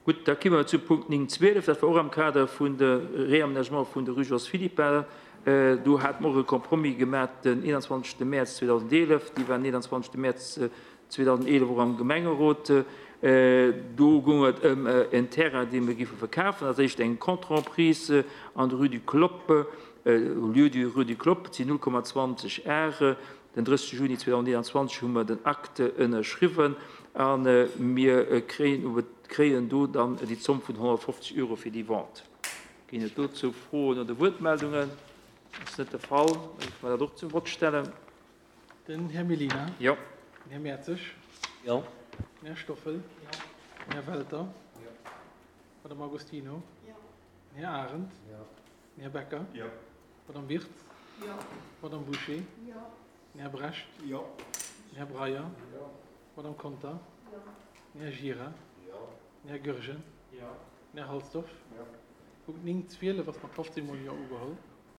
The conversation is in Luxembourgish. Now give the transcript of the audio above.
Gutt, da komme mer zu Punkt 9, 12. Dat war och am Kader vun de Réaménagement vun der Rue Jos Philippart. Do hate mer och e Compromis gemaach den 21. Mäerz 2011. Déi war den 21. Mäerz 2011 och am Gemengerot. Do goung et ëm en Terrain, dee mir géife verkafen, als éischt eng Contre-emprise an der Rue du Clopp, au lieu-dit Rue du Clopp, et sinn 0,20 Ar. Den 30 Juni 2021 hu mer den Acte ënnerschriwwen a mir kréien do dann déi Zomm vun 150 Euro fir déi Vente. Ginn et dozou Froen oder Wuertmeldungen? Ass net de Fall. Da géife mer dat och zum Vott stellen. Den Här Mellina. Jo. Den Här Mertzig. Jo. Den Här Stoffel. Jo. Den Här Welter. Jo. D'Madame Agostino. Jo. Den Här Arendt. Jo. Den Här Becker. Jo. D'Madame Wirtz. Jo. D'Madame Bouché. Jo. Den Här Brecht. Jo. Den Här Breyer. Jo. D'Madame Conter. Jo. Den Här Gira. Jo. Den Här Goergen. Jo. Den Här Halsdorf. Jo. Punkt 9, 12 ass mat 15 mol Jo ugeholl.